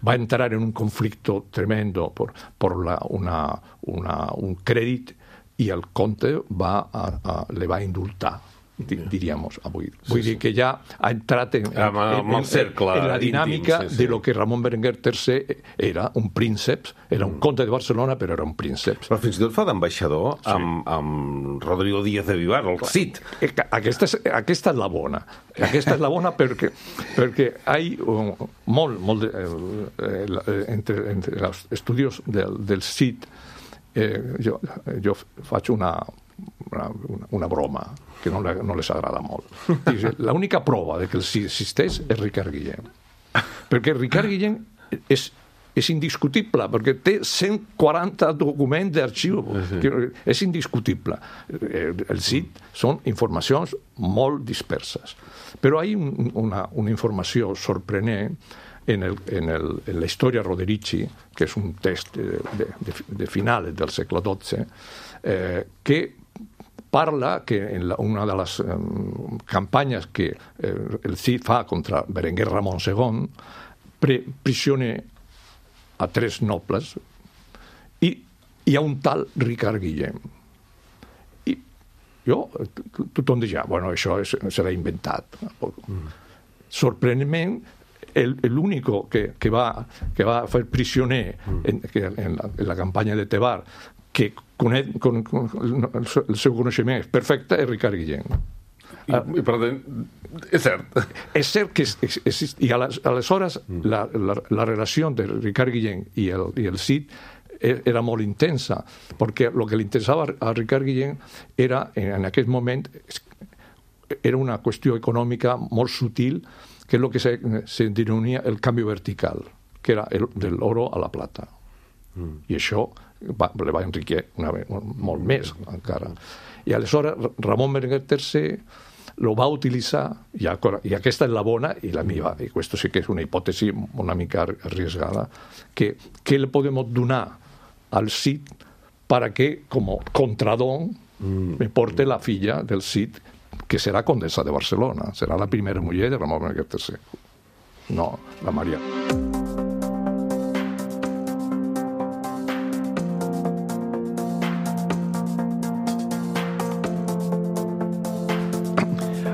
Va entrar en un conflicte tremendo por, por la, una, una, un crèdit i el comte va a, a, le va indultar, diríamos avui. Vull sí, dir que ja ha entrat en, en, en, en, cercle, en la dinàmica íntim, sí, sí. de lo que Ramon Berenguer tercer era un príncep, era un comte de Barcelona, però era un príncep. Però fins i tot fa d'ambaixador sí. amb, amb Rodrigo Díaz de Vivar, el Cid. Aquesta és, aquesta és la bona. Aquesta és la bona perquè, perquè hi ha um, molt, molt de, eh, entre, entre els estudis del, del Cid, eh, jo, jo faig una Una, una, una broma que no, le, no les agrada molt. L'única prova de que el sí existeix és Ricard Guillén. Perquè Ricard Guillén és, és indiscutible, perquè té cent quaranta documents d'arxiu. És indiscutible. El C I D són informacions molt disperses. Però hi ha un, una, una informació sorprenent en, el, en, el, en la història Roderici, que és un text de, de, de, de finals del segle dotze, eh, que parla que en la, una de les eh, campanyes que eh, el C I D fa contra Berenguer Ramon segon, pre prisiona a tres nobles i hi ha un tal Ricard Guillén. I jo, tothom deia, bueno, això és, serà inventat. Mm. Sorprenentment, el, el único que, que, va, que va fer prisioner en, que en, la, en la campanya de Tebar, que conec, con, con, el seu coneixement és perfecte, és Ricard Guillem. I, i per tant, és cert. És cert que exist, i aleshores mm. la, la, la relació de Ricard Guillem i el, i el Cid era molt intensa, perquè el que li interessava a Ricard Guillem era, en aquest moment, era una qüestió econòmica molt sutil, que és el que se, se denominia el canvi vertical, que era el, del oro a la plata. Mm. I això va, le va enriquir una, molt més encara. I aleshores Ramon Berenguer tercer lo va utilitzar, i, i aquesta és la bona i la meva, i aquesta sí que és una hipòtesi una mica arriesgada, que què le podem donar al Cid para que, como contradón, mm. me porte la filla del Cid, que serà condessa de Barcelona. Serà la primera muller de Ramon Berenguer tercer. No, la Maria.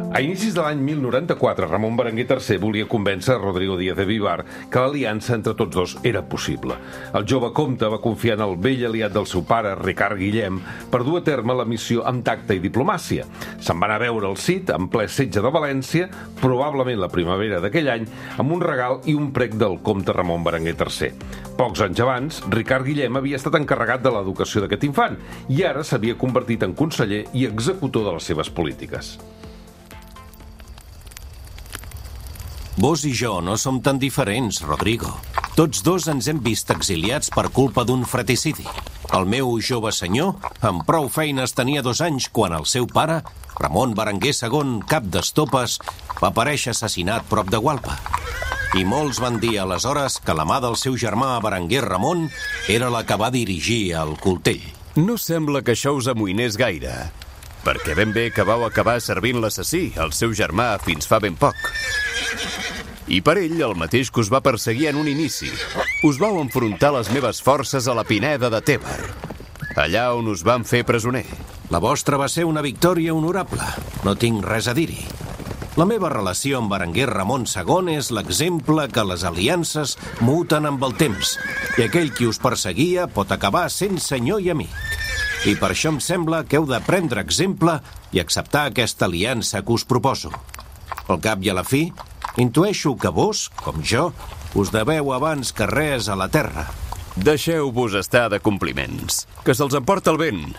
A inicis de l'any mil noranta-quatre, Ramon Berenguer tercer volia convèncer Rodrigo Díaz de Vivar que l'aliança entre tots dos era possible. El jove comte va confiar en el vell aliat del seu pare, Ricard Guillem, per dur a terme la missió amb tacte i diplomàcia. Se'n va anar a veure el Cid en ple setge de València, probablement la primavera d'aquell any, amb un regal i un prec del comte Ramon Berenguer tercer. Pocs anys abans, Ricard Guillem havia estat encarregat de l'educació d'aquest infant i ara s'havia convertit en conseller i executor de les seves polítiques. Vos i jo no som tan diferents, Rodrigo. Tots dos ens hem vist exiliats per culpa d'un fratricidi. El meu jove senyor, amb prou feines, tenia dos anys quan el seu pare, Ramon Berenguer segon, cap d'estopes, va aparèixer assassinat prop de Gualpa. I molts van dir aleshores que la mà del seu germà Berenguer Ramon era la que va dirigir el coltell. No sembla que això us amoïnés gaire, perquè ben bé que vau acabar servint l'assassí, el seu germà, fins fa ben poc. I per ell, el mateix que us va perseguir en un inici. Us vau enfrontar les meves forces a la Pineda de Tèber, allà on us van fer presoner. La vostra va ser una victòria honorable. No tinc res a dir-hi. La meva relació amb Berenguer Ramon segon és l'exemple que les aliances muten amb el temps, i aquell qui us perseguia pot acabar sent senyor i amic. I per això em sembla que heu de prendre exemple i acceptar aquesta aliança que us proposo. Al cap i a la fi, intueixo que vos, com jo, us deveu abans que res a la terra. Deixeu-vos estar de compliments, que se'ls emporta el vent.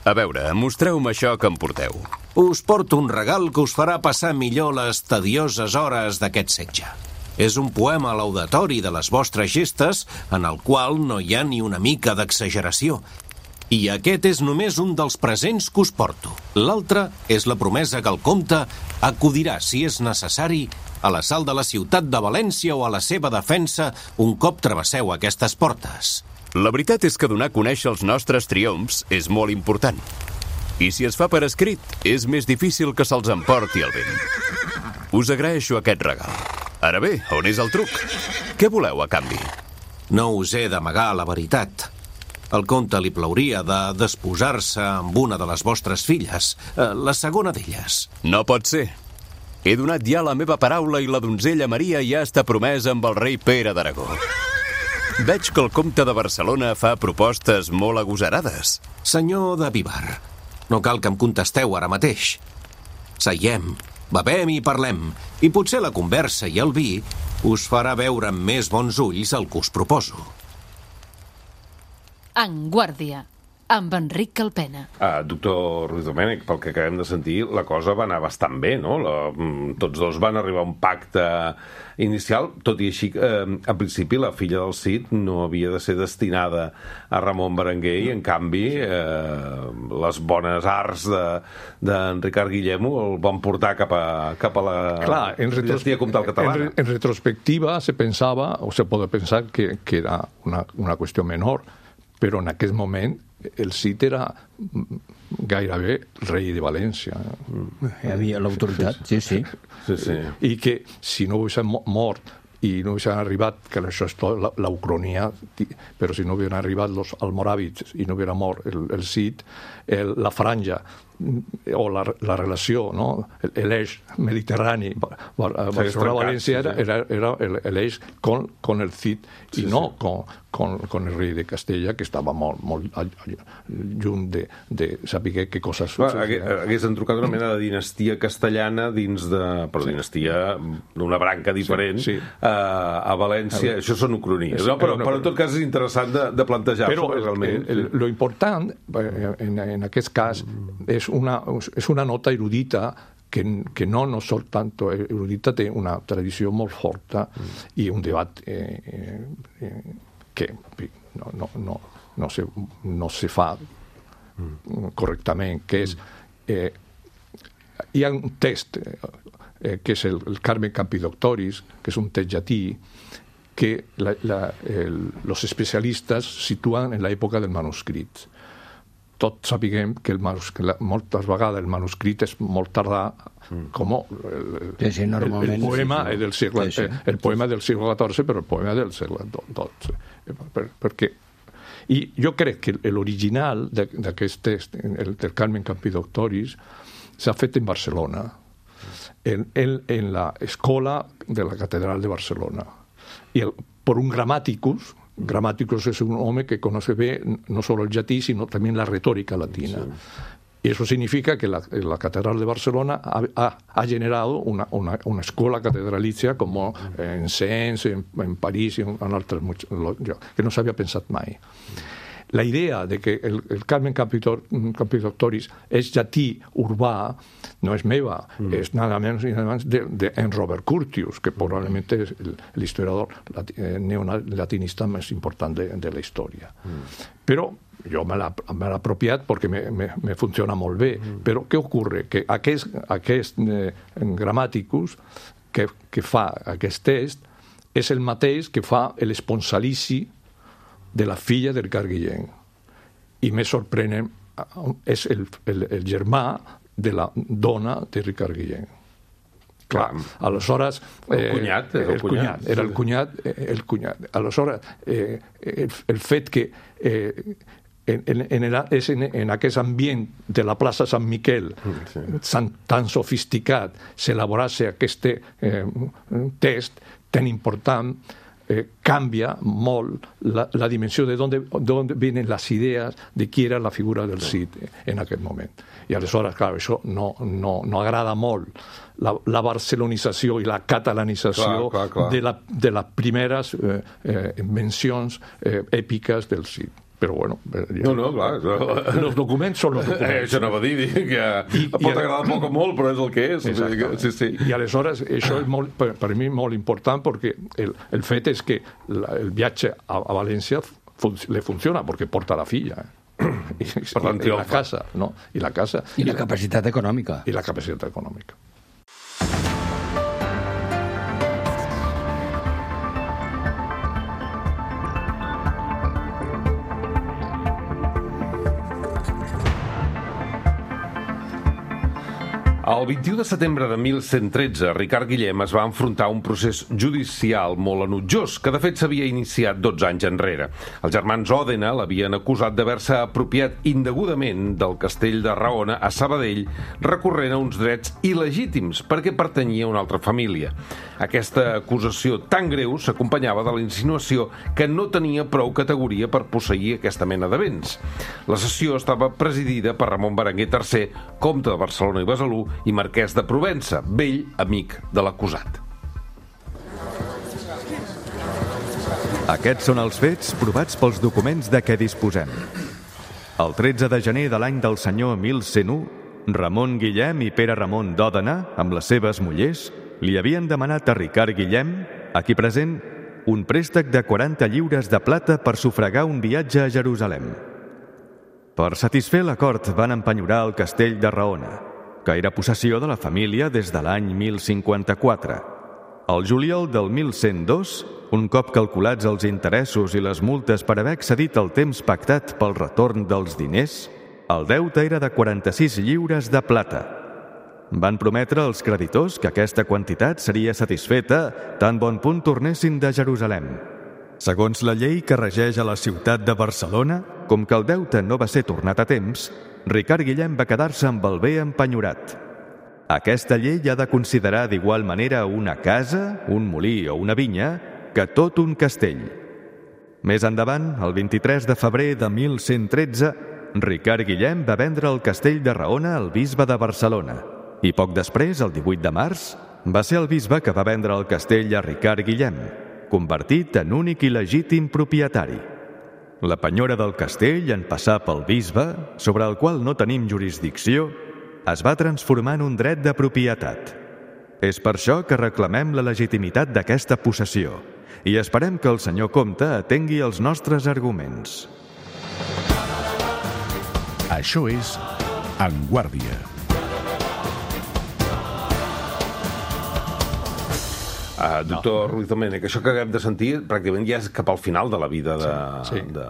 A veure, mostreu-me això que em porteu. Us porto un regal que us farà passar millor les tedioses hores d'aquest setge. És un poema laudatori de les vostres gestes en el qual no hi ha ni una mica d'exageració. I aquest és només un dels presents que us porto. L'altre és la promesa que el comte acudirà, si és necessari, a l'assalt de la ciutat de València o a la seva defensa un cop travesseu aquestes portes. La veritat és que donar a conèixer els nostres triomfs és molt important. I si es fa per escrit, és més difícil que se'ls emporti el vent. Us agraeixo aquest regal. Ara bé, on és el truc? Què voleu a canvi? No us he d'amagar la veritat. Al comte li plauria de desposar-se amb una de les vostres filles, la segona d'elles. No pot ser. He donat ja la meva paraula i la donzella Maria ja està promesa amb el rei Pere d'Aragó. Veig que el comte de Barcelona fa propostes molt agosarades. Senyor de Vivar, no cal que em contesteu ara mateix. Seiem, bevem i parlem, i potser la conversa i el vi us farà veure amb més bons ulls el que us proposo. En Guàrdia, amb Enric Calpena. Uh, doctor Ruiz Domènech, pel que acabem de sentir, la cosa va anar bastant bé, no? La, tots dos van arribar a un pacte inicial, tot i així, eh, en principi, la filla del Cid no havia de ser destinada a Ramon Berenguer i, en canvi, eh, les bones arts d'en de, Ricard Guillem el van portar cap a, cap a la Clar, en dinastia comtal catalana. En, en retrospectiva se pensava, o se pot pensar, que, que era una, una qüestió menor, però en aquest moment el Cid era gairebé rei de València. Hi havia l'autoritat, sí, sí. sí, sí. I que si no haguessin mort i no haguessin arribat, que això és tot la, la ucronia, però si no haguessin arribat els almoràvits i no haguera mort el, el Cid, el, la franja o la, la relació, no? l'eix mediterrani, Barcelona-València era, era, era l'eix con, con el Cid i sí, no sí. Con, con, con el rei de Castella, que estava molt, molt lluny de, de saber què coses... Hagués entrucat una mena de dinastia castellana dins de... però sí. dinastia d'una branca diferent sí, sí. A, a València. Això són ucronies. Sí, no, però, però en tot cas és interessant de, de plantejar-se. Però realment. El, el, lo important en, en aquest cas és una, és una nota erudita que, que no, no sol tanto erudita, té una tradició molt forta mm. i un debat eh, eh, que no, no, no, no, se, no se fa mm. correctament, que és eh, hi ha un text eh, que és el, el Carmen Campidoctoris, que és un text llatí que la, la, el, los especialistes situen en l'època del manuscrit. Tots sapiguem que, el manuscrit, moltes vegades el manuscrit és molt tardà, mm. com el, sí, sí, el, el poema sí, sí. del segle sí, sí. el poema del segle catorze, però el poema del segle dotze. Per, perquè i jo crec que l'original d'aquest text, el del Carmen Campidoctoris, s'ha fet en Barcelona, en, en, en l'escola de la Catedral de Barcelona. I el, per un gramáticus, Gramáticos es un hombre que conoce bien no solo el llatí, sino también la retórica latina. Sí. Y eso significa que la, la Catedral de Barcelona ha, ha, ha generado una, una, una escuela catedralicia como en Sens, en, en París y en, en altres, que no s'havia pensat mai. La idea de que el, el Carmen Campidoctoris és llatí urbà no és meva, mm. és nada menys ni nada menys de, de en Robert Curtius, que probablement és l'historiador eh, neolatinista més important de, de la història. Mm. Però jo me l'he apropiat perquè me, me, me funciona molt bé. Mm. Però què ocorre? Que aquest, aquest eh, Gramáticus que, que fa aquest test és el mateix que fa l'esponsalici de la filla del Ricard Guillem. I més sorprenent és el, el, el germà de la dona de Ricard Guillem. Clar, aleshores... Eh, el cunyat, el, el cunyat. Era el cunyat, el cunyat. Aleshores, eh, el, el fet que eh, en, en, el, és en, en aquest ambient de la plaça Sant Miquel sí. tan, tan sofisticat s'elaborase aquest eh, test tan important, Eh, cambia molt la, la dimensió de d'on venen les idees de qui era la figura del Cid en aquest moment. I aleshores, clar, això no, no, no agrada molt la, la barcelonització i la catalanització clar, clar, clar. de, la, de les primeres eh, eh, mencions eh, èpiques del Cid. Però bueno... No, no, clar. Els documents són els documents. Eh, això no va dir, que I, pot i, agradar poc o molt, però és el que és. Sí, sí. I aleshores, això és molt, per, per mi molt important, perquè el, el fet és que la, el viatge a, a València fun, le funciona, perquè porta la filla. Eh? I, per i, i la casa, no? I la casa... I la capacitat econòmica. I la capacitat econòmica. El vint-i-u de setembre de mil cent tretze, Ricard Guillem es va enfrontar a un procés judicial molt enutjós, que de fet s'havia iniciat dotze anys enrere. Els germans Òdena l'havien acusat d'haver-se apropiat indegudament del castell de Raona a Sabadell, recorrent a uns drets il·legítims perquè pertanyia a una altra família. Aquesta acusació tan greu s'acompanyava de la insinuació que no tenia prou categoria per posseir aquesta mena de béns. La sessió estava presidida per Ramon Berenguer tercer, comte de Barcelona i Besalú, i marquès de Provença, vell amic de l'acusat. Aquests són els fets provats pels documents de què disposem. El tretze de gener de l'any del senyor mil cent u, Ramon Guillem i Pere Ramon d'Òdena, amb les seves mullers, li havien demanat a Ricard Guillem, aquí present, un préstec de quaranta lliures de plata per sufragar un viatge a Jerusalem. Per satisfer l'acord van empenyorar el castell de Raona, que era possessió de la família des de l'any mil cinquanta-quatre. Al juliol del mil cent dos, un cop calculats els interessos i les multes per haver excedit el temps pactat pel retorn dels diners, el deute era de quaranta-sis lliures de plata. Van prometre als creditors que aquesta quantitat seria satisfeta tan bon punt tornessin de Jerusalem. Segons la llei que regeix a la ciutat de Barcelona, com que el deute no va ser tornat a temps, Ricard Guillem va quedar-se amb el bé empenyorat. Aquesta llei ha de considerar d'igual manera una casa, un molí o una vinya que tot un castell. Més endavant, el vint-i-tres de febrer de mil cent tretze, Ricard Guillem va vendre el castell de Raona al bisbe de Barcelona i poc després, el divuit de març, va ser el bisbe que va vendre el castell a Ricard Guillem, convertit en únic i legítim propietari. La penyora del castell, en passar pel bisbe, sobre el qual no tenim jurisdicció, es va transformar en un dret de propietat. És per això que reclamem la legitimitat d'aquesta possessió i esperem que el senyor comte atengui els nostres arguments. Això és En Guàrdia. Uh, doctor no. Ruiz Domènech, això que acabem de sentir pràcticament ja és cap al final de la vida de, sí, sí. de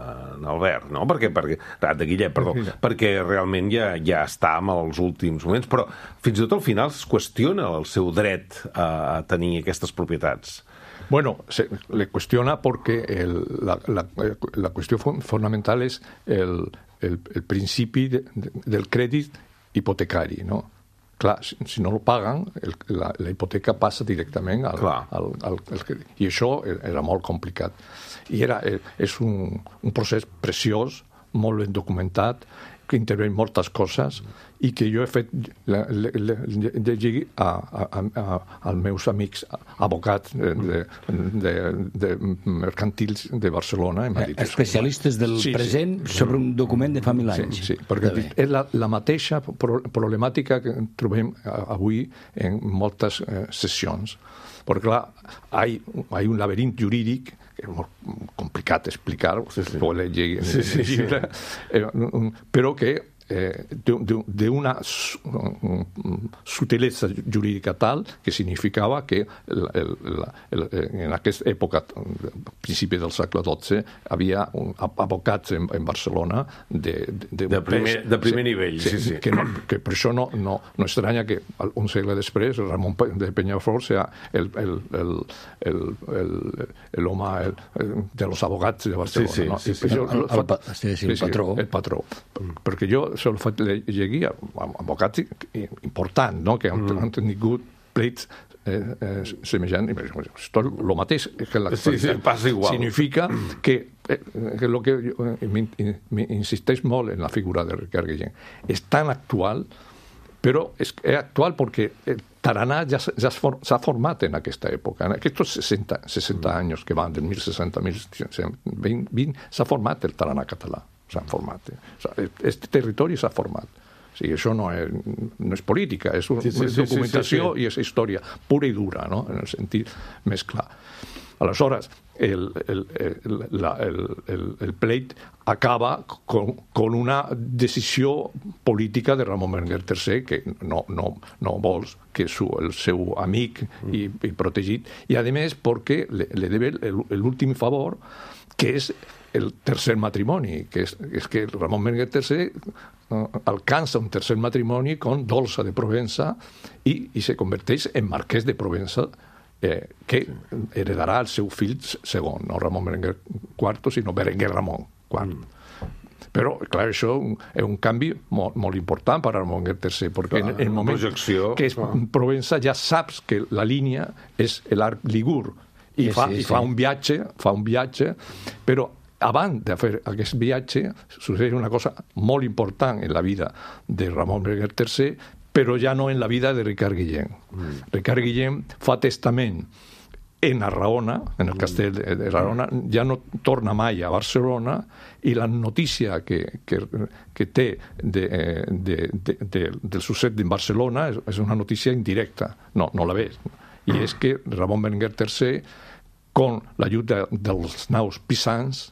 Albert, no? Perquè, perquè, de Guillem, perdó, Guillem. Perquè realment ja, ja està en els últims moments, però fins i tot al final es qüestiona el seu dret a tenir aquestes propietats. Bueno, se le cuestiona porque el, la, la, la cuestión fundamental es el, el, el principi de, de, del crèdit hipotecari, no? Clar, si, si no lo paguen, el, la, la hipoteca passa directament al, al, al, al crèdit. I això era molt complicat. I era, és un, un procés preciós, molt ben documentat, que intervé moltes coses i que jo he fet llegir a, a, a, als meus amics advocats de, de, de mercantils de Barcelona. Eh, especialistes del sí, present sí. sobre un document de fa mil anys. Sí, sí, perquè és la, la mateixa problemàtica que trobem avui en moltes eh, sessions. Perquè, clar, hi ha un laberint jurídic que és molt complicat d'explicar, sí, sí. Può leggere sí, sí, sí. Eh, però que eh, d'una sutilesa jurídica tal que significava que el, el, el, en aquesta època, principi del segle dotze, havia un, advocats en, en Barcelona de, de, de, primer, de primer sí, nivell. Sí, sí. Que, no, que per això no, no, no estranya que un segle després Ramon de Penyafort sea el, el, el, el, el, el home el, de los abogats de Barcelona. Sí, sí, no? sí, sí, sí. El, el, el, sí, sí, el patró. El patró. Mm. Perquè jo se'l faig llegir a advocats importants, no? Que han, mm. han tingut plets eh, eh, semejants. Esto es lo mateix que l'actualitat. Sí, sí, passa igual. Significa que, eh, que lo que jo, eh, insisteix molt en la figura de Ricard Guillem. És tan actual, però és, és actual perquè eh, Taraná ja, ja s'ha format en aquesta època. En aquests sesenta, sesenta anys que van, del mil seixanta a mil vint, s'ha format el Taraná català. S'ha format. Este territori s'ha format. O sigui, això no és, no és política, és, un, sí, sí, és documentació sí, sí, sí. I és història pura i dura, no? En el sentit més clar. Aleshores, el, el, el, la, el, el, el pleit acaba con, con una decisió política de Ramon Berenguer tercer que no, no, no vols que su, el seu amic i, i protegit, i a més perquè le, le debe l'últim favor, que és el tercer matrimoni, que és, és que Ramon Berenguer tercer uh, alcança un tercer matrimoni con Dolça de Provença i, i se converteix en marquès de Provença, eh, que heredarà el seu fill segon, no Ramon Berenguer quarto, sinó Berenguer Ramon quart. Mm. Però, clar, això és un canvi molt, molt important per a Ramon Berenguer tercer, perquè en el moment projecció, que és Provença ja saps que la línia és l'arc Ligur, i, sí, fa, sí, i fa, sí. un viatge, fa un viatge, però abans de fer aquest viatge succeeix una cosa molt important en la vida de Ramon Berenguer tercer, però ja no en la vida de Ricard Guillem. Mm. Ricard Guillem fa testament en Raona, en el castell de, de Raona, ja no torna mai a Barcelona, i la notícia que, que, que té de, de, de, de, del succés en Barcelona és, és una notícia indirecta, no, no la ves. I és que Ramon Berenguer tercer, con l'ajuda dels naus pisans,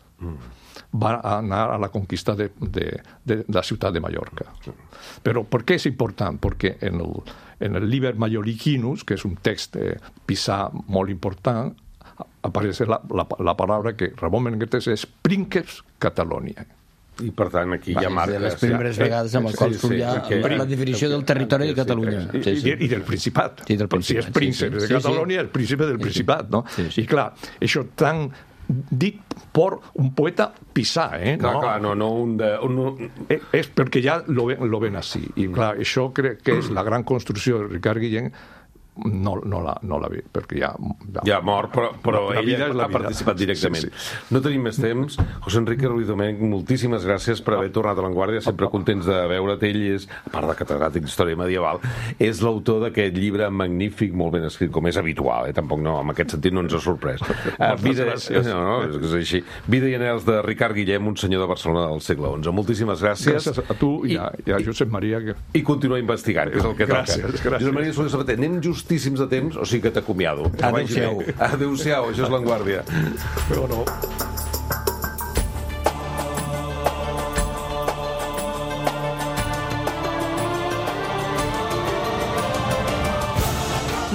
va anar a la conquista de, de, de la ciutat de Mallorca. Però per què és important? Perquè en el, en el Liber Mallorquinus, que és un text eh, pisà molt important, apareix la, la, la paraula que Ramon Berenguer tercer és Princeps Catalonia. I, per tant, aquí hi ha marques. Les primeres ja, vegades amb el qual surt ja sí, sí, la definició del territori de Catalunya. Sí, sí. I, I del Principat. Sí, del Principat. Si és príncep sí, sí. de Catalunya, sí, sí. El príncipe del Principat, no? Sí, sí. I clar, això tan dit por un poeta pisà, eh? Clar, clar, no, no un de... Un... És perquè ja lo ven, lo ven així. I clar, això crec que és la gran construcció de Ricard Guillén. No, no, la, no la ve, perquè ja... Ja, ja mort, però, però la, la ella ha vida. participat directament. Sí, sí. No tenim més temps. José Enrique Ruiz Domènech, moltíssimes gràcies per haver tornat a l'Avantguàrdia, sempre contents de veure't. Ell és, a part de catedràtic d'història medieval, és l'autor d'aquest llibre magnífic, molt ben escrit, com és habitual, eh? Tampoc no, en aquest sentit no ens ha sorprès. Uh, vida, no, no, és així. Vida i anels de Ricard Guillem, un senyor de Barcelona del segle onze. Moltíssimes gràcies. Gràcies a tu i, i, a, i a Josep Maria. Que... I continua investigant, que és el que gràcies, toca. Gràcies. Josep Maria Soler Sabater, anem justíssims de temps, o sigui que t'acomiado. Adéu-siau. Adéu-siau, això és l'Avantguàrdia. Però no.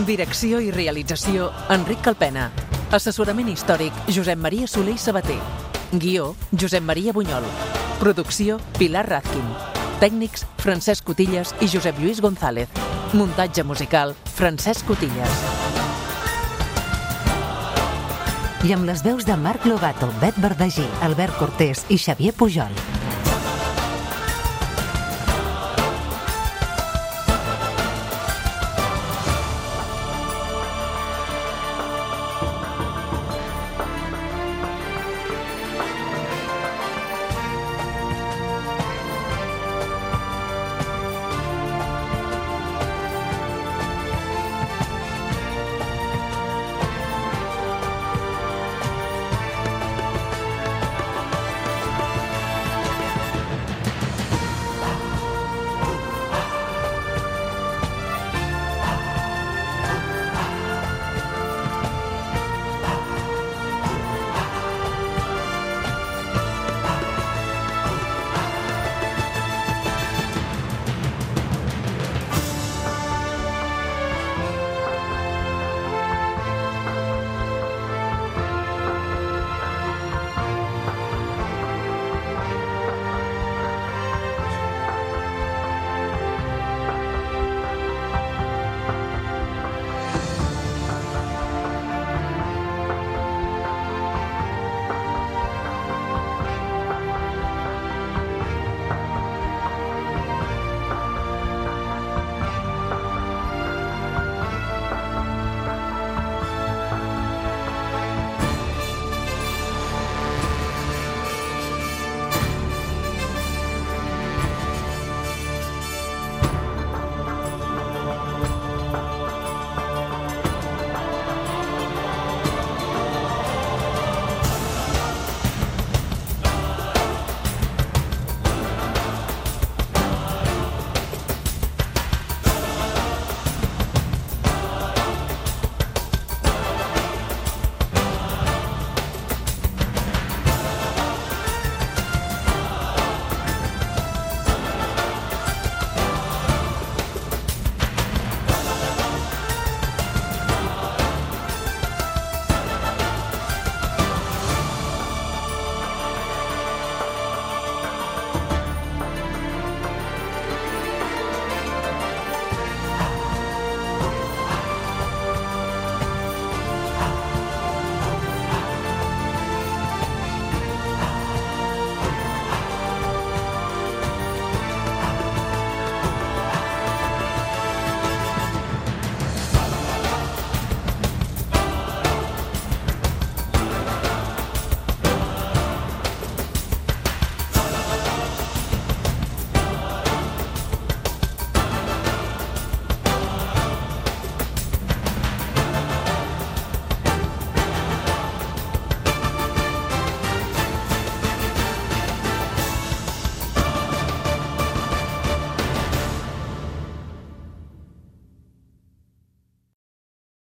Direcció i realització, Enric Calpena. Assessorament històric, Josep Maria Soler i Sabater. Guió, Josep Maria Bunyol. Producció, Pilar Razkin. Tècnics, Francesc Cotillas i Josep Lluís González. Muntatge musical, Francesc Cotillas. I amb les veus de Marc Lobato, Bet Verdaguer, Albert Cortés i Xavier Pujol.